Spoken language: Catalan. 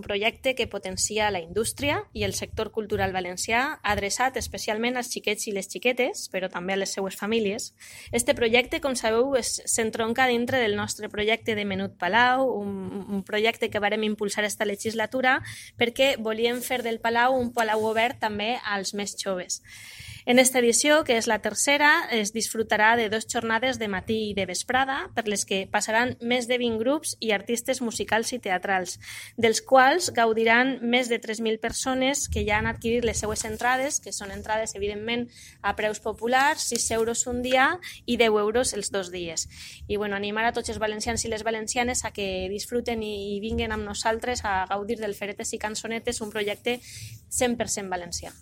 projecte que potencia la indústria i el sector cultural valencià, adreçat especialment als xiquets i les xiquetes, però també a les seues famílies. Este projecte, com sabeu, s'entronca dintre del nostre projecte de Menut Palau, un projecte que vàrem impulsar esta legislatura perquè volíem fer del Palau un palau obert també als més joves. En esta edició, que és la tercera, es disfrutarà de 2 jornades de matí i de vesprada, per les que passaran més de 20 grups i artistes musicals i teatrals, dels quals gaudiran més de 3.000 persones que ja han adquirit les seues entrades, que són entrades, evidentment, a preus populars, 6 euros un dia i 10 euros els 2 dies. I animar a tots els valencians i les valencianes a que disfruten i vinguen amb nosaltres a gaudir del Feretes i Cançonetes, un projecte 100% valencià.